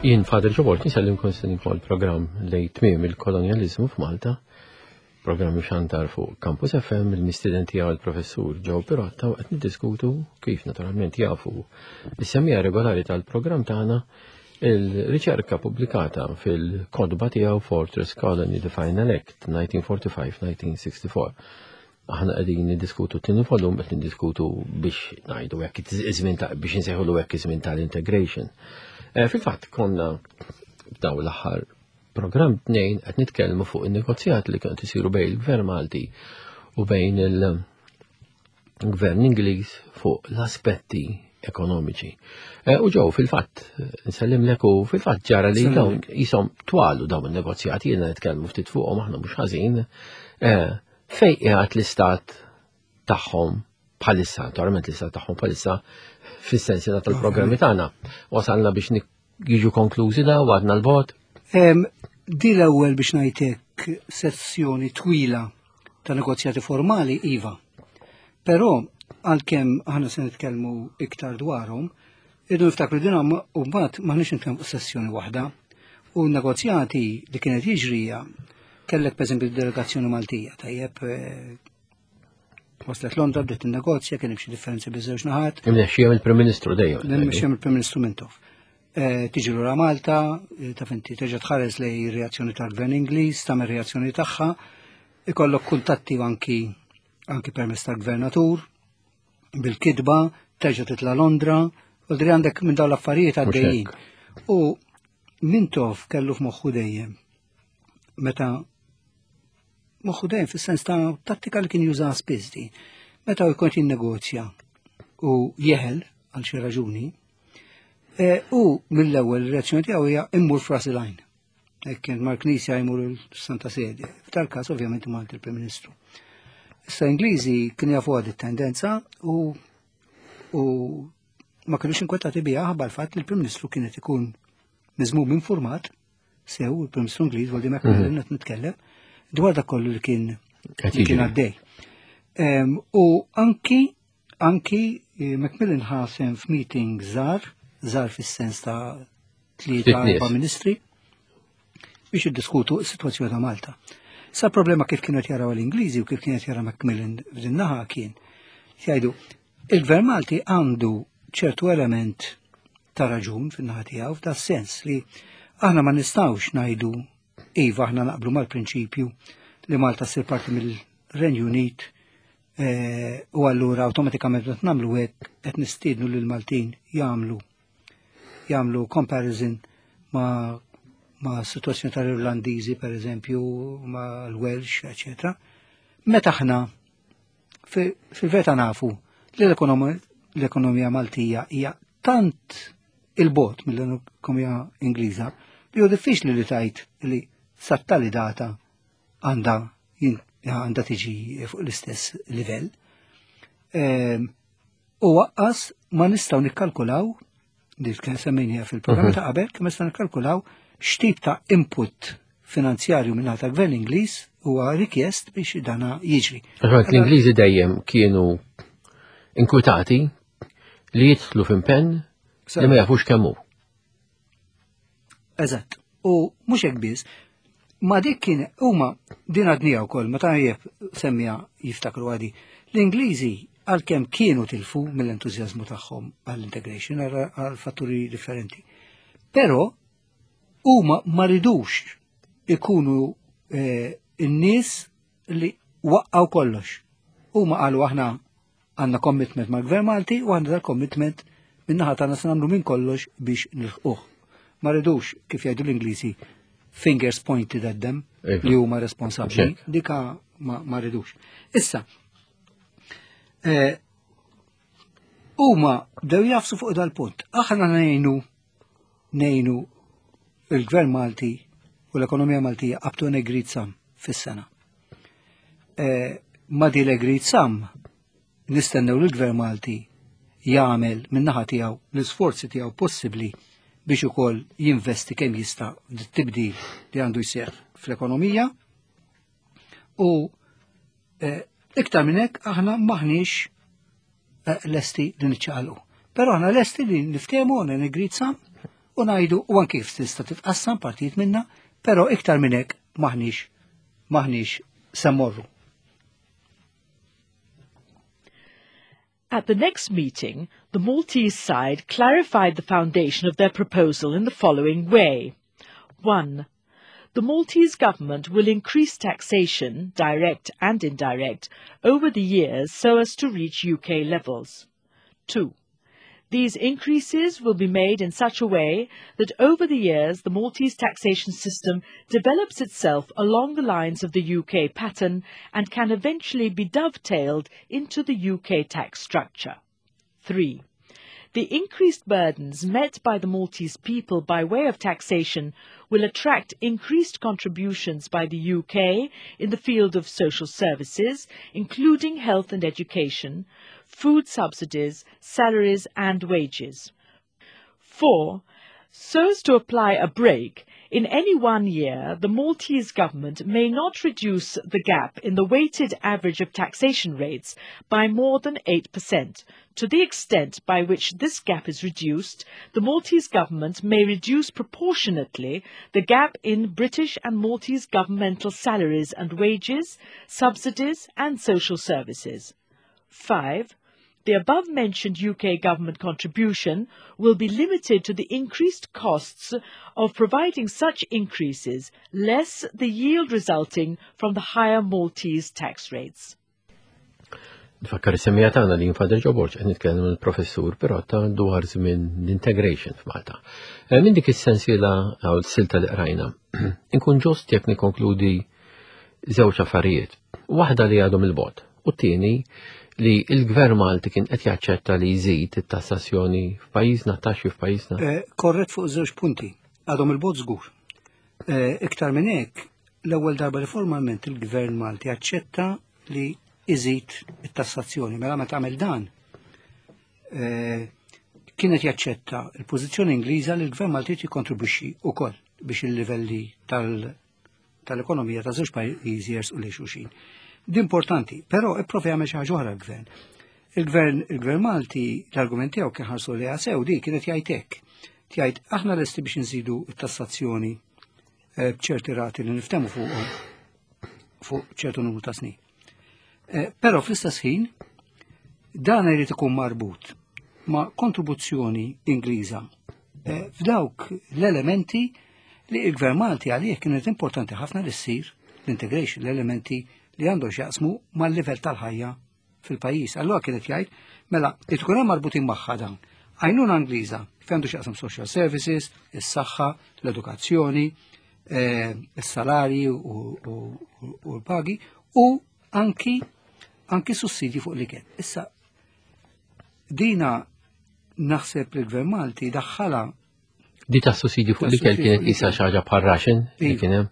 Jien Father Ġobort nsellimkom nsellimkom il-programm lejn tmiem il-kolonjaliżmu f'Malta, programm xantar fuq Campus FM, il-mistiden tiegħu il-professur Joe Pirotta u qed niddiskutu kif naturalment jafu is-semija regolari tal-programm tagħna il-riċerka pubblikata fil-kodba tiegħu Fortress Colony The Final Act 1945-1964. Aħna qegħdin niddiskutu t-tieni volum qed niddiskutu biex ngħidu hekk iż-żmien ta' biex insejħulu hekk iż-żmien tal-integration. Eh, fil-fatt konna b'daw l-aħħar programm tnejn qed nitkellmu fuq in-negozjat li kienu isiru bejn il-Gvern Malti u bejn il-Gvern Ingliż fuq l-aspetti ekonomiċi. Eh, u ġew fil-fatt, nsellimlek u fil-fatt ġara li dawn jisom twalu dawn in-negozjati jiena nitkellmu ftit fuqhom aħna mhux ħażin. Eh, Fejn qiegħed l-istat tagħhom bħalissa, naturalment l-istat tagħhom bħalissa fis-sensi tal-programmi tagħna. Wasalna biex jiġu konklużi da u għadna l-bot. Di l-ewwel biex ngħidlek sessjoni twila ta' negozjati formali iva. Però għalkemm aħna se nitkellmu iktar dwarhom, irridu niftakru din u mbagħad m'aħniex nitkellmu fuq sessjoni waħda. U negozjati li kienet jiġrija Kellek pereżempju delegazzjoni Maltija, tajjeb eh, waslet Londra bdiet in-negozja, kien hemm xi differenzi biż-żewġ naħat. Imnexxija mill-Prim Ministru dejjem. Imnexxija mill-Prim Ministru Mintoff. Eh, tiġi lura Malta, eh, taf inti terġa' tħares lej reazzjoni tal-Gvern Ingliż, tagħmel reazzjoni tagħha, ikollok kuntatti anki anki permezz tal-gvernatur, bil-kidba, terġa' titla' Londra, u dri għandek minn dawn l-affarijiet għaddejjin. U Mintoff kellu f'moħħu dejjem meta moħħu dejjem fis-sens ta' tattika li kien juża spiss di. Meta jkun jinnegozja u jeħel għal xi raġuni, e, u mill-ewwel reazzjoni tiegħu hija immur f'ras il-għajn. Hekk kien mal-Knisja jmur il-Santa Sede. F'tal każ ovvjament imur il-Prim Ministru. Issa Ingliżi kien jafu għad it-tendenza u u ma kienux inkwetati biha ħabba l-fatt li l-Prim Ministru kienet ikun miżmum informat sew il-Prim Ministru Ingliż Waldi Macmillan mhm. qed nitkellem dwar dak kollu li kien li kien għaddej. U anki anki eh, Macmillan ħasem f'meeting żgħar, żgħar fis-sens ta' tlieta erba' ministri biex jiddiskutu s-sitwazzjoni ta' Malta. Sa problema kif kienu jaraw l-Ingliżi u kif kienet jara Macmillan f'din naħa kien jgħidu Il-Gvern Malti għandu ċertu element ta' raġun fin-naħa tiegħu f'da sens li aħna ma nistgħux ngħidu iva aħna naqblu mal-prinċipju li Malta ssir parti mill-Renju Unit eh, u allura awtomatikament qed nagħmlu hekk qed nistiednu lil Maltin jagħmlu jagħmlu comparison ma' ma' situazzjoni tal-Irlandiżi per eżempju, ma' l-Welsh, eccetera. Meta aħna Fil-verità nafu li l-ekonomija Maltija hija tant il-bot mill-ekonomija Ingliża li hu diffiċli li tajt li sattali data għandha għandha tiġi fuq l-istess livell. Ehm, u waqqas ma nistgħu nikkalkulaw li kien semmejnija fil-programm mhm. ta' qabel, kemm nistgħu nikkalkulaw x'tip ta' input finanzjarju minn ta' gvern Ingliż huwa rikjest biex dana jiġri. L-Ingliżi dejjem kienu inkwitati li jidħlu f'impenn li ma jafux kemm hu. Eżatt. U mhux hekk biss, ma dik kien huma din għadnija wkoll meta tajjeb semmija jiftakru għadi. L-Ingliżi għalkemm kienu tilfu mill-entużjażmu tagħhom għall-integration għal fatturi differenti. Però huma ma ridux ikunu eh, n-nies li waqqaw kollox. Huma qalu aħna Għandna commitment mal-Gvern Malti u għandna dal-commitment min-naħa tagħna se nagħmlu minn kollox biex nilħquh. Ma rridux, kif jgħidu l-Ingliżi, fingers pointed at them iva. li huma responsabbli. Dika ma, ma rridux. Issa, eh, huma bdew jafsu fuq dal-punt. Aħna ngħinu ngħinu il-Gvern Malti u l-ekonomija Maltija up to an agreed sum fis-sena. Eh, ma di l-agreed sum nistennew li l-Gvern Malti jagħmel min-naħa tiegħu l-isforzi tiegħu possibbli biex ukoll jinvesti kemm jista' tibdil li għandu jseħħ fl-ekonomija u eh, iktar minn hekk aħna maħniex eh, lesti li niċċaqalqu. Però aħna lesti li niftehmu on an agreed sum. u ngħidu u anki kif tista' titqassam partijiet minna, però iktar minn hekk maħniex maħniex se mmorru. At the next meeting, the Maltese side clarified the foundation of their proposal in the following way. 1. The Maltese government will increase taxation, direct and indirect, over the years so as to reach UK levels. 2. These increases will be made in such a way that over the years the Maltese taxation system develops itself along the lines of the UK pattern and can eventually be dovetailed into the UK tax structure. 3. The increased burdens met by the Maltese people by way of taxation will attract increased contributions by the UK in the field of social services, including health and education, food subsidies, salaries and wages. 4. So as to apply a brake, in any one year, the Maltese government may not reduce the gap in the weighted average of taxation rates by more than 8%. To the extent by which this gap is reduced, the Maltese government may reduce proportionately the gap in British and Maltese governmental salaries and wages, subsidies and social services. 5. The above-mentioned UK government contribution will be limited to the increased costs of providing such increases, less the yield resulting from the higher Maltese tax rates. Nfakkar is-semmija tagħna li jinfader Ġo Borg qed nitkellem il-professur Pirotta dwar żmien l-integration f'Malta. Eh, minn dik is-sensiela għaw silta li qrajna, inkun ġust jekk nikkonkludi żewġ affarijiet. Waħda li għadhom il-bot u t-tieni li l-gvern Malti kien qed jaċċetta li jżid it-tassazzjoni f'pajjiżna, taxxi f'pajjiżna. Eh, korrett fuq żewġ punti. Għadhom il-bot żgur. Eh, iktar minn hekk, l-ewwel darba li formalment il-gvern Malti aċċetta li iżid it-tassazzjoni. Mela meta għamel dan, eh, kienet jaċċetta il-pożizzjoni Ingliża li l-gvern Malti jikkontribwixxi wkoll biex il-livelli tal- tal-ekonomija ta' żewġ pajjiżi jersqu lejn xulxin. Di importanti, però ipprova jagħmel xi ħaġa oħra l-gvern. Il-gvern il-gvern Malti l-argument tiegħu kien ħarsu li sew di kienet jgħid hekk. Tgħid aħna lesti biex nżidu t-tassazzjoni eh, b'ċerti rati li niftemu fuqhom fuq ċertu numru ta' snin. Eh, però fl-istess ħin dan irid ikun marbut ma' kontribuzzjoni Ingliża eh, f'dawk l-elementi li il-Gvern Malti għalih kienet importanti ħafna li ssir l-integration, l-elementi li għandu x'jaqsmu mal-livell tal-ħajja fil-pajjiż. Allura kienet jgħid, mela, li tkun hemm marbutin magħha dawn. Għajnuna Ingliża fejn għandu x'jaqsam social services, is-saħħa, l-edukazzjoni, eh, is-salarji u l-pagi u anki anki sussidji fuq l-ikel. Issa, dina naħseb li l-Gvern Malti daħħala Di ta' sussidji fuq l-ikel kienet isa xi ħaġa bħal ration li iva. kien hemm.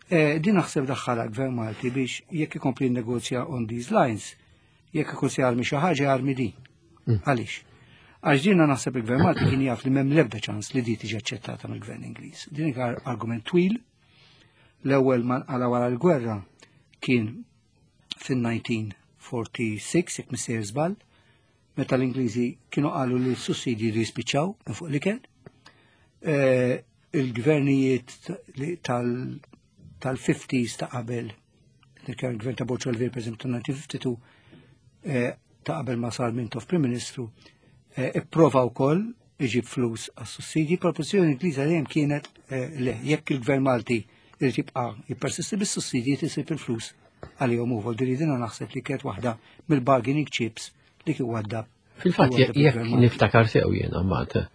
Eh, din naħseb daħħala gvern Malti biex jekk ikompli negozja on these lines, jekk ikun se jarmi xi ħaġa jarmi din. Mm. Għaliex? Għax dina naħseb il-gvern Malti kien jaf li m'hemm l-ebda ċans li di tiġi aċċettata mill-gvern Ingliż. Din argument twil. L-ewwel ma nqala wara l-gwerra kien fin-1946 jekk missejjer żball, meta l-Ingliżi kienu qalu li s-sussidji jridu jispiċċaw minn fuq l-ikel. Eh, il-gvernijiet tal-50s ta' qabel, il-gvern ta' Borċol per esempio, ta' 1952, eh, ta' qabel ma sar Mintoff Prim Ministru, eh, ipprova wkoll iġib flus għas-sussidji, proporzjoni Ingliża dejjem kienet le, jekk il-gvern Malti irid jibqa' jippersisti bis-sussidji tisib il-flus għalihom u voldi dina naħseb li kienet waħda mill-bargaining chips li kien waddab. Fil-fatt jekk niftakar sew jiena mbagħad,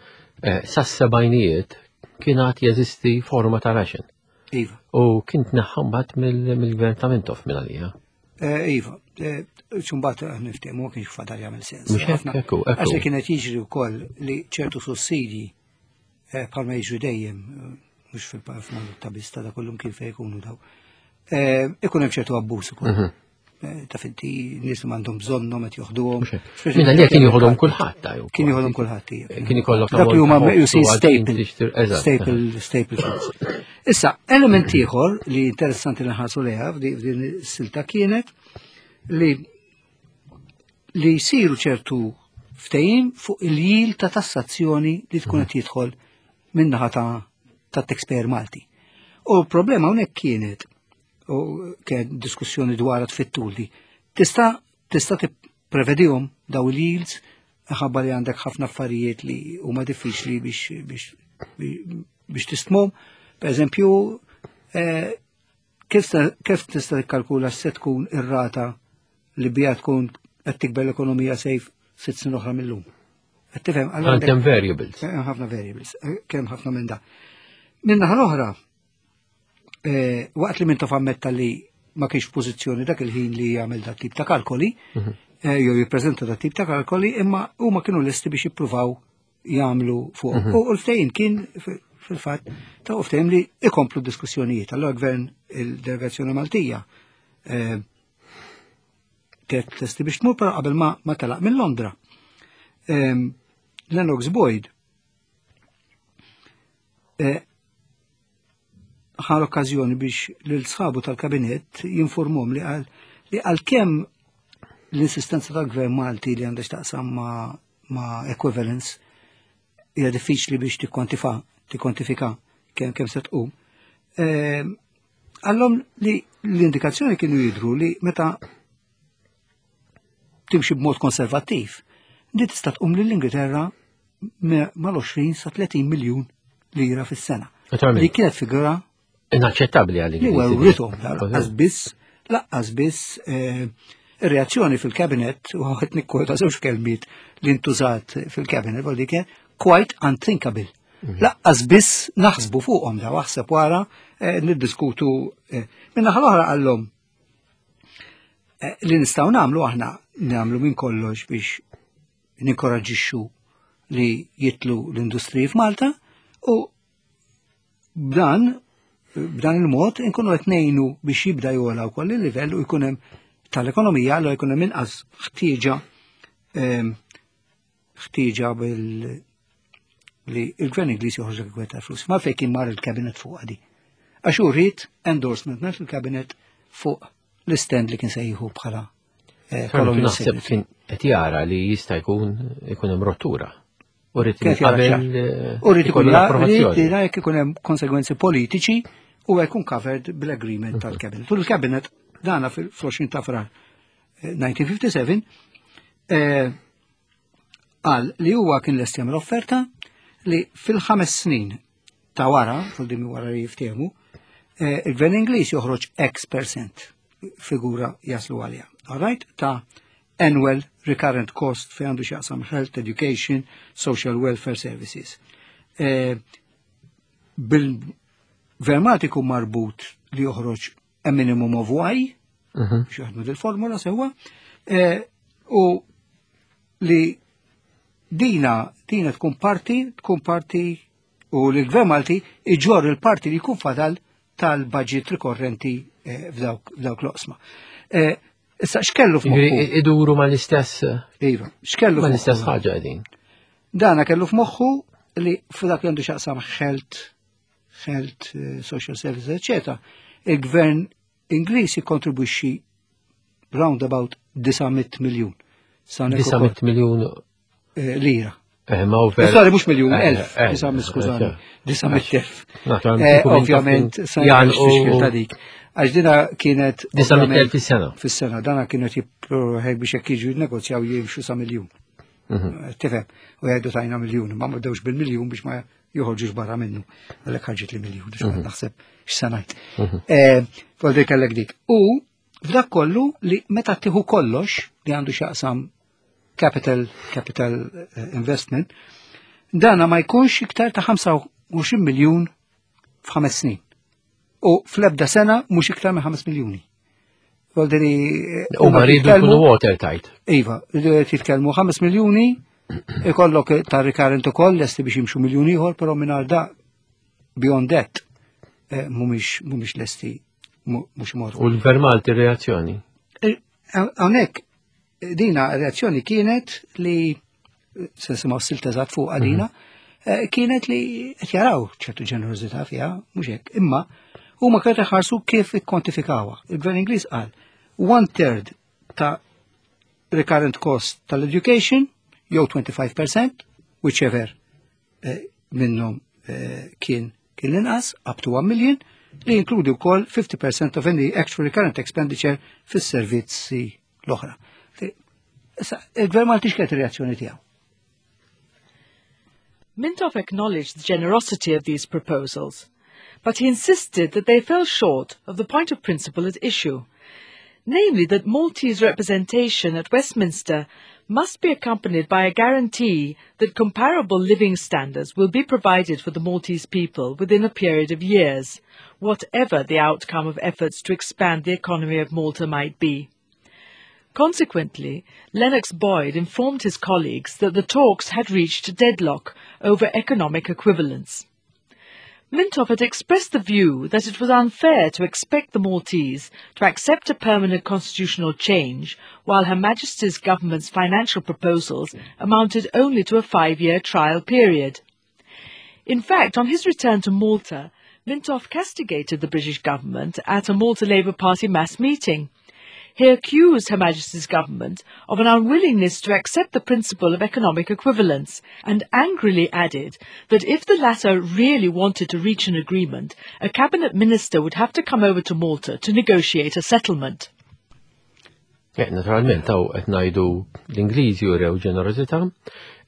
eh, sas-sebgħinijiet kien għad jeżisti forma ta' ration. Iva. U kien tneħħa mbagħad mill-gvern ta' Mintoff minn għalija. Eh, iva, eh, xumbat niftehmu ma kienx fadal jagħmel sens. Għax li kienet jiġri wkoll li ċertu sussidji eh, bħalma jiġri dejjem, eh, mhux fil-Malta biss ta' kullum kien fejn ikunu daw. Eh, ikun hemm ċertu abbuż ukoll. Mhm. Ta' finti nies li m'għandhom bżonnhom qed joħduhom. Minna li kien joħodhom kulħadd Kien joħodhom kulħadd. Kien ikollok dak li huma meqjusin staple. Staple, staple foods. Issa, element ieħor li interessanti li nħarsu lejha f'din is-silta kienet li li jsiru ċertu ftehim fuq il-jil ta' tassazzjoni li tkun qed jidħol. min-naħa ta' taxpayer Malti. U l-problema hawnhekk kienet u kien diskussjoni dwar fit-tul li tista' tista' tipprevedihom daw il-yields ħabba li għandek ħafna affarijiet li huma diffiċli biex biex biex tistmhom. Per eżempju, eh, kif tista' tikkalkula se tkun ir-rata li bija tkun qed tikber l-ekonomija sejf 6 snin oħra mill-lum. Qed tifhem Hemm variables. Hemm ħafna variables, eh, kemm ħafna minn da. Minna l-oħra, eh, waqt li Mintoff ammetta li ma kienx pożizzjoni dak il-ħin li jagħmel dat tip ta' kalkoli, eh, jew jippreżenta dat tip ta' kalkoli, imma huma kienu lesti biex jippruvaw jagħmlu fuq. U l-ftehim kien fil-fatt ta' ftehim li ikomplu diskussjonijiet. Allora gvern il-delegazzjoni Maltija eh, kienet lesti biex tmur, però qabel ma ma telaq minn Londra. Lennox Boyd ħa l-okkażjoni biex lil sħabu tal-kabinet jinformhom li qal li għalkemm l-insistenza tal-gvern Malti li għandha x'taqsam ma', ma equivalence hija diffiċli biex tikkontifa tikkontifika kemm kemm se tqum. Għallhom li l-indikazzjoni kienu jidru li meta timxi b'mod konservattiv, di tista' tqum lill-Ingilterra mal-20 sa 30 miljun lira fis-sena. Li kienet figura Inaċċettabbli għal li werwrithom laqqas biss laqqas biss eh, ir-reazzjoni fil-kabinet u qed nikkwota żewġ kelmiet li ntużat fil-kabinet għal dik quite unthinkable. Laqqas biss naħsbu fuqhom daw aħseb wara eh, niddiskutu eh, Minna l-oħra qallhom li nistgħu nagħmlu aħna nagħmlu minn kollox biex ninkoraġġixxu li jitlu l-industriji f'Malta u b'dan b'dan il-mod inkunu qed ngħinu biex jibda jogħla wkoll il-livell u jkun hemm tal-ekonomija allura jkun hemm inqas ħtieġa ħtieġa bil li il-gvern Ingliż joħroġ dak ta' flus. Ma fejn kien mar il-cabinet fuq għadi. Għax hu ried endorsement minn il-cabinet fuq l-stand li kien se jieħu bħala colonial Naħseb kien qed jara li jista' jkun ikun hemm rottura. U rrid qabel U rrid ikun l-approvazzjoni. Jekk ikun hemm konsegwenzi politiċi u jkun covered bil-agreement tal-cabinet. U l-cabinet dana fil-20 ta' frar 1957 qal li huwa kien lest jagħmel offerta li fil-5 snin ta' wara, fil-dimi wara li jiftehmu, il-gvern Ingliż joħroġ X percent figura jaslu għalija. All right? Ta' annual recurrent cost fejn għandu x'jaqsam health, education, social welfare services. Bil-gvern Malti jkun marbut li joħroġ a minimum of Y, biex jaħdmu dil-formula sewwa, u li dina tkun parti, tkun parti u li l-gvern Malti iġorr il-parti li jkun fadal tal-budget rikorrenti f'dawk l-oqsma. Issa x'kellu f'moħħu? Iduru mal-istess. Iva, x'kellu mal-istess ħaġa qegħdin. Dana kellu f'moħħu li f'dak li għandu x'jaqsam health, health, social services, eccetera, il-gvern Ingliż jikkontribwixxi round about 900 miljun. 900 miljun lira. Ma u ver. Sorry, mhux miljun, elf, 900, skużani, 900,000. Ovvjament, sa jgħal ta' dik. Għax dina kienet 900,000 fis-sena. Fis-sena, dana kienet jipproħek biex jekk jiġu jinnegozjaw jimxu sa miljun. Tifhem, u jgħidu tajna miljun, ma bdewx bil-miljun biex ma joħorġux barra minnu. Għalhekk ħarġet li miljun, biex ma naħseb x'se ngħid. Voldi kellek dik. U f'dak kollu li meta tieħu kollox li għandu x'jaqsam capital investment, dana ma jkunx iktar ta' 25 miljun f'ħames snin. U fl-ebda sena mhux iktar minn 5 miljuni. Voldiri, U ma rridu jkunu watertight. Iva, titkellmu 5 miljuni, ikollok ta' recurrent ukoll lesti biex jimxu miljun ieħor, però mingħajr da beyond that mhumiex lesti mhux imorru. U l-Gvern Malti reazzjoni? Hawnhekk dina reazzjoni kienet li se nisimgħu s-silta eżatt fuq għalina, kienet li qed jaraw ċertu ġenerożità fiha, mhux hekk, imma huma kienet iħarsu kif ikkontifikawha. Il-Gvern Ingliż qal one third ta' recurrent cost tal-education jew 25%, whichever minnhom kien kien l-inqas up to 1 million li jinkludi wkoll 50% of any actual recurrent expenditure fis-servizzi l-oħra. Issa, il-Gvern Malti x'kienet ir-reazzjoni tiegħu? Mintoff acknowledged the generosity of these proposals, but he insisted that they fell short of the point of principle at issue, namely that Maltese representation at Westminster must be accompanied by a guarantee that comparable living standards will be provided for the Maltese people within a period of years, whatever the outcome of efforts to expand the economy of Malta might be. Consequently, Lennox Boyd informed his colleagues that the talks had reached deadlock over economic equivalence. Mintoff had expressed the view that it was unfair to expect the Maltese to accept a permanent constitutional change while Her Majesty's government's financial proposals amounted only to a 5-year trial period. In fact, on his return to Malta, Mintoff castigated the British government at a Malta Labour Party mass meeting. He accused Her Majesty's government of an unwillingness to accept the principle of economic equivalence and angrily added that if the latter really wanted to reach an agreement, a cabinet minister would have to come over to Malta to negotiate a settlement. Naturalment, hawn qed ngħidu l-Ingliżi urew ġenerożità,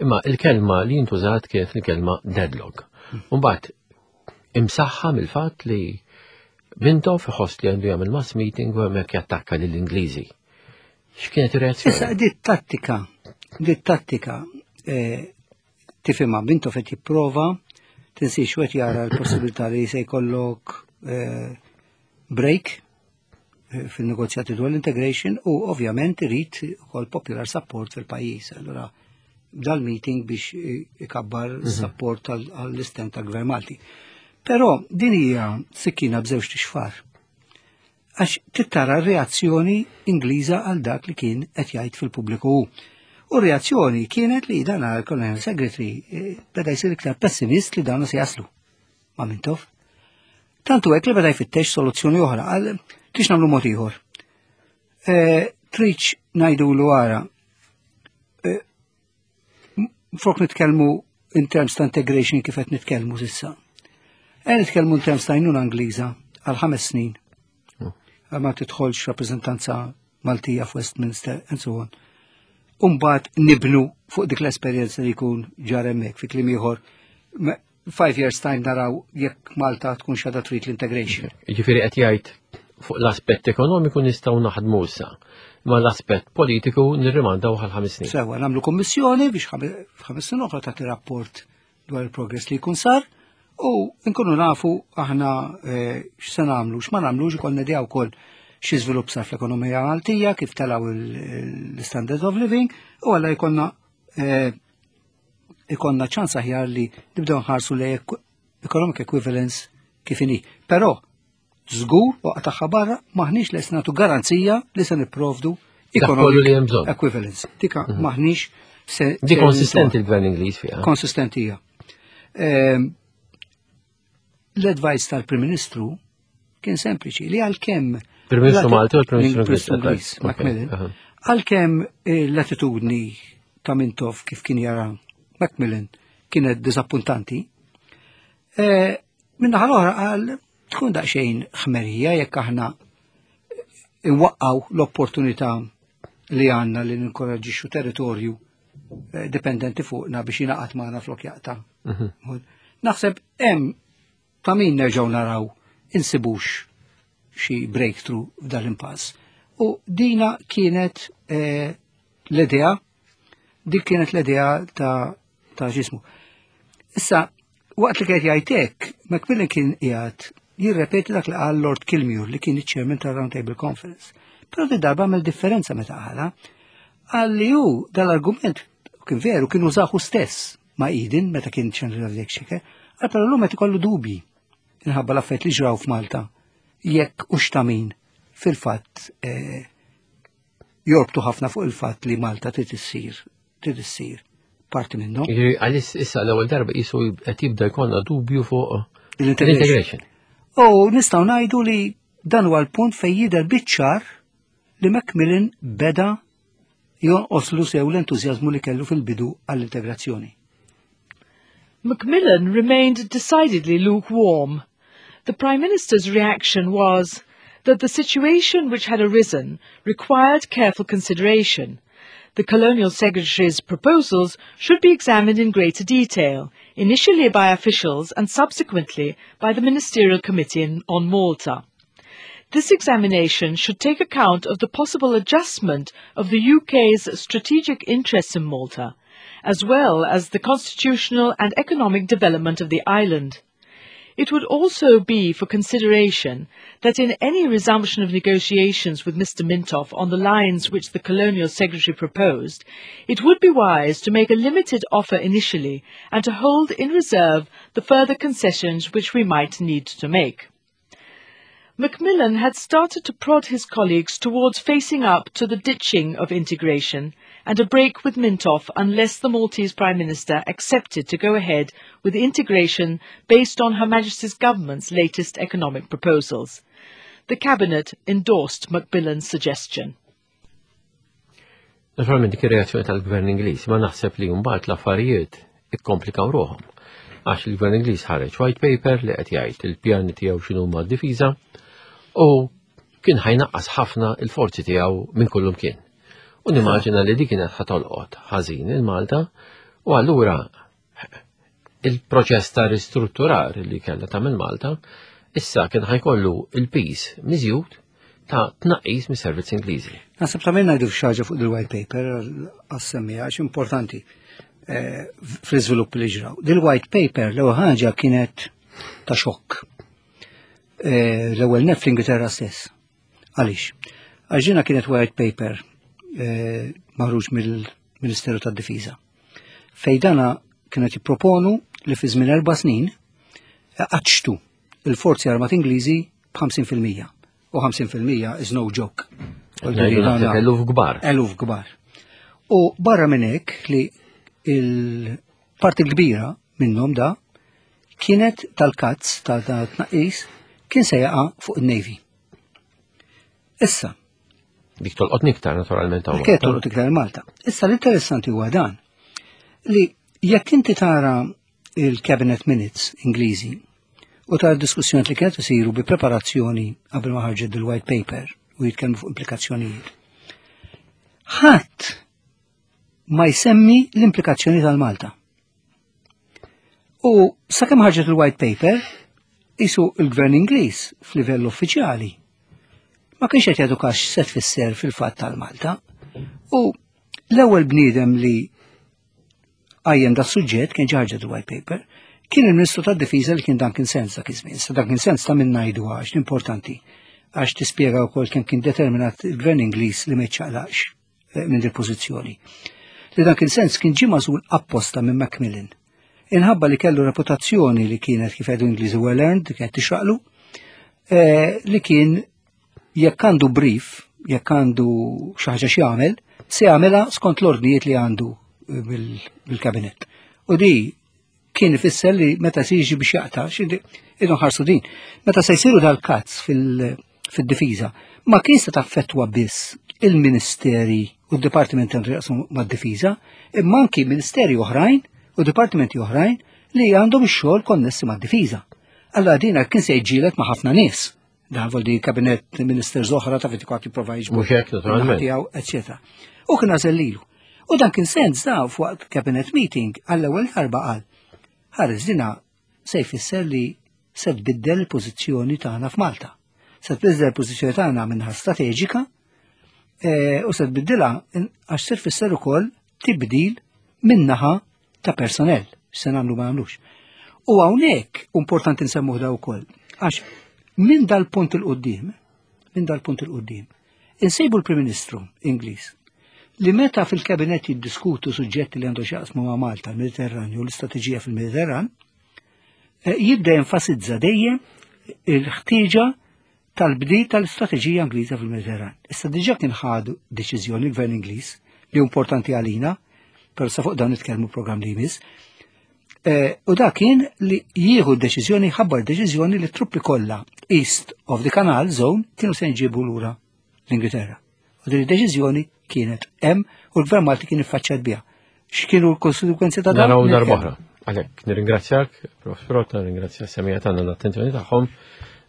imma il-kelma li jintużat kienet il-kelma deadlock. Mbagħad imsaħħa mill-fatt li Mintoff iħoss li għandu jagħmel mass meeting u hemmhekk jattakka lill-Ingliżi. X'kienet ir-reazzjoni? Issa dit tattika tifhimha Mintoff qed jipprova tinsiex qed jara l-possibilità li se jkollok break fil-negozjati dwar l-integration u ovvjament irid ukoll popular support fil-pajjiż. Allura dal-meeting biex ikabbar support għall-istent tal-Gvern Malti. Però din hija sikkina b'żewġt ixfar. Għax tittara r-reazzjoni Ingliża għal dak li kien qed jgħid fil-pubbliku hu. U r-reazzjoni kienet li dan għal-Colonial Secretary beda jsir iktar pessimist li dan se jaslu ma' Mintoff. Tantu hekk li beda jfittex soluzzjoni oħra għal tix nagħmlu mod ieħor. Tridx ngħidulu ara flok nitkellmu in terms ta' integration kif qed nitkellmu s'issa. Qed nitkellmu in terms ta' għajnuna Ingliża għal 5 snin. Ma tidħolx rappreżentanza Maltija f'Westminster and so on. Umbagħad nibnu fuq dik l-esperjenza li jkun ġar hemmhekk fi kliem ieħor. 5 years time naraw jekk Malta tkun xada trid l-integration. Jiġifieri qed jgħid fuq l-aspett ekonomiku nistgħu naħdmu issa, ma l-aspett politiku nirrimandaw għal 5 snin. Sewa, nagħmlu kommissjoni biex f'ħames snin oħra tagħti rapport dwar il-progress li jkun sar u nkunu nafu aħna x'se nagħmlu, x'ma nagħmlux, ikollna idea wkoll xi żvilupp sar fl-ekonomija Maltija, kif telgħu l-standard of living, u għalla jkollna ċans aħjar li nibdew nħarsu li economic equivalence kif inhi. Però żgur waqt tagħha barra maħniex lest nagħtu garanzija li se nipprovdu Dak kollu li hemm bżonn. equivalence. Dika maħniex se Di konsistenti l-gvern Ingliż fiha. Konsistenti hija. L-advice tal-Prim Ministru kien sempliċi li għalkemm Prim Ministru Malti u l-Prim Ministru Prim Ministru Ingliż, Ingliż, Macmillan, għalkemm l-attitudni ta' Mintoff kif kien jara Macmillan kienet disappuntanti, minnaħa l-oħra qal tkun daqsxejn ħmerija jekk aħna inwaqqaw l-opportunità li għandna li ninkoraġġixxu territorju dipendenti fuqna biex jingħaqad magħna flok jaqta'. Naħseb hemm ta' min nerġgħu naraw insibux xi breakthrough f'dan l-impass. U dina kienet l-idea, dik kienet l-idea ta' ġismu. Issa, waqt li kienet jgħid hekk, Macmillan kien qiegħed jirrepeti dak li qal Lord Kilmuir li kien iċ-chairman tal-Round Table Conference. Però di darba għamel differenza meta qalha, qal li hu dal-argument kien veru kien użahu stess ma' Eden meta kien Chancellor of the Exchequer, qal però llum qed ikollu dubji minħabba l-affarijiet li ġraw f'Malta jekk u x'tamin fil-fatt jorbtu ħafna fuq il-fatt li Malta trid issir parti minnhom. Jiġifieri, għalis issa l-ewwel darba qisu qed jibda jkollna dubju fuq L-integration. l-integration. U nistgħu ngħidu li dan huwa l-punt fejn jidher biċ-ċar li Macmillan beda jonqoslu sew l-entużjażmu li kellu fil-bidu għall-integrazzjoni. Macmillan remained decidedly lukewarm. The Prime Minister's reaction was that the situation which had arisen required careful consideration. The Colonial Secretary's proposals should be examined in greater detail, initially by officials and subsequently by the Ministerial Committee on Malta. This examination should take account of the possible adjustment of the UK's strategic interests in Malta, as well as the constitutional and economic development of the island. It would also be for consideration that in any resumption of negotiations with Mr. Mintoff on the lines which the Colonial Secretary proposed, it would be wise to make a limited offer initially and to hold in reserve the further concessions which we might need to make. Macmillan had started to prod his colleagues towards facing up to the ditching of integration and a break with Mintoff unless the Maltese Prime Minister accepted to go ahead with integration based on Her Majesty's government's latest economic proposals. The Cabinet endorsed Macmillan's suggestion. Naturalment dik ir-reazzjoni tal-Gvern Ingliż, ma naħseb li mbagħad l-affarijiet ikkomplikaw ruħhom. Għax il-Gvern Ingliż ħareġ white paper li qed jgħid il-pjani tiegħu x'inhuma d-difiża u kien ħajnaqqas ħafna il-forzi tiegħu minn kullum kien. U nimmaġina li dik kienet ħatolqot ħażin il-Malta u allura il-proċess ta' ristrutturar li kellha tagħmel Malta issa kien ħajkollu il-piż miżjud ta' tnaqqis mis-servizz Ingliżi. Naħseb ta' minna ngħidu xi fuq il-white paper għas-semmija għax importanti eh, fl-iżvilupp li ġraw. Dil-white paper l-ewwel ħaġa kienet ta' xokk. Eh, l-ewwel nef fl-Ingilterra stess. Għaliex? Għax ġina kienet white paper eh, maħruġ mill-Ministeru tad-Difiża. Fej dana kienet jipproponu li fi żmien 4 snin qaċċtu il-forzi armati Ingliżi b'50%. U 50% is no joke. Eluf kbar. Eluf kbar. U barra minn hekk li il-parti kbira minnhom da kienet tal-cuts tal-tnaqqis kien se jaqa' fuq il-Navy. Issa. Dik tolqot iktar naturalment hawn. Kienet tolqot iktar Malta. Issa l-interessanti huwa dan li jekk inti tara il-Cabinet Minutes Ingliżi u tara diskussjoni li kienet isiru bi preparazzjoni qabel ma ħarġet il-white paper u jitkellmu fuq implikazzjonijiet. Ħadd ma jsemmi l-implikazzjoni tal-Malta. U sakemm ħarġet il-white paper, isu il-gvern Ingliż f'livell uffiċjali ma kienx qed jagħtu kax se tfisser fil-fatt tal-Malta. U l-ewwel bniedem li qajjem da suġġett kien ġarġa white paper, kien il-Ministru tad-Difiża li kien Duncan Sandys dak iż-żmien. Sa Duncan Sandys ta' minn ngħidu għax importanti għax tispjega wkoll kemm kien determinat il-gvern Ingliż li ma jiċċaqlaqx eh, minn dil pożizzjoni. Li Duncan Sandys kien ġie magħżul apposta minn Macmillan. Inħabba li kellu reputazzjoni li kienet kif għedu Ingliżi well earned, kienet tixraqlu, eh, li kien jekk għandu brief, jekk għandu xi ħaġa x'jagħmel, se jagħmilha skont l-ordnijiet li għandu eh, bil-kabinet. U di kien ifisser li meta se jiġi biex jaqta' idu ħarsu din. Meta se jsiru dal-cuts fil-difiża, ma kien se taffettwa biss il-ministeri u d-dipartimenti għandu jaqsmu mad-difiża, imma anki ministeri oħrajn u dipartimenti oħrajn li għandhom ix-xogħol konnessi mad-difiża. Allora dina kien se jġilet ma' ħafna nies. Dan vol di cabinet ministers oħra ta' fiti kwati prova jiġbu. Mhux hekk, naturalment. Tiegħu, eċetera. U kien għażel lilu. U dan kien sens da fuq cabinet meeting għall-ewwel darba qal. Ħares dina se jfisser li se tbiddel il-pożizzjoni tagħna f'Malta. Se tbiddel il-pożizzjoni tagħna minnha strateġika eh, u se tbiddilha għax se tfisser ukoll tibdil minnaħa ta' personnel, se nagħmlu ma nagħmlux. U hawnhekk importanti nsemmuh da wkoll, għax minn dal-punt il-qudiem, minn dal-punt il-qudiem, insejbu l-Prim Ministru Ingliż li meta fil-kabinet jiddiskutu suġġetti li għandu x'jaqsmu ma' Malta, l-Mediterranju, l-istrateġija fil-Mediterran, eh, jibda jenfasizza dejjem il-ħtieġa tal-bdi tal-istrateġija Ingliża fil-Mediterran. Issa diġà kien ħadu deċiżjoni l-Gvern Ingliż li importanti għalina, però sa fuq dan nitkellmu programm li jmiss. Eh, u da kien li jieħu deċiżjoni, ħabbar deċiżjoni li truppi kollha East of the Canal Zone kienu se nġibu lura l-Ingilterra. U din id-deċiżjoni kienet hemm u l-Gvern Malti kien iffaċċjat biha. X'kienu l-konsekwenzi ta' dan? Naraw darb'oħra. Għalhekk nirringrazzjak, Prof. Pirotta, nirringrazzja s-semija tagħna l-attenzjoni tagħhom.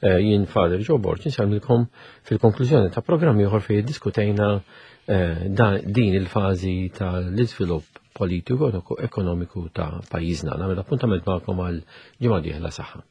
Eh, jien Father Joe Borg insellmilkom fil-konklużjoni ta' programm ieħor fejn diskutejna eh, din il-fażi tal-iżvilupp politiku ekonomiku ta' pajjiżna. Nagħmel appuntament magħkom għal ġimgħa dieħla saħħa.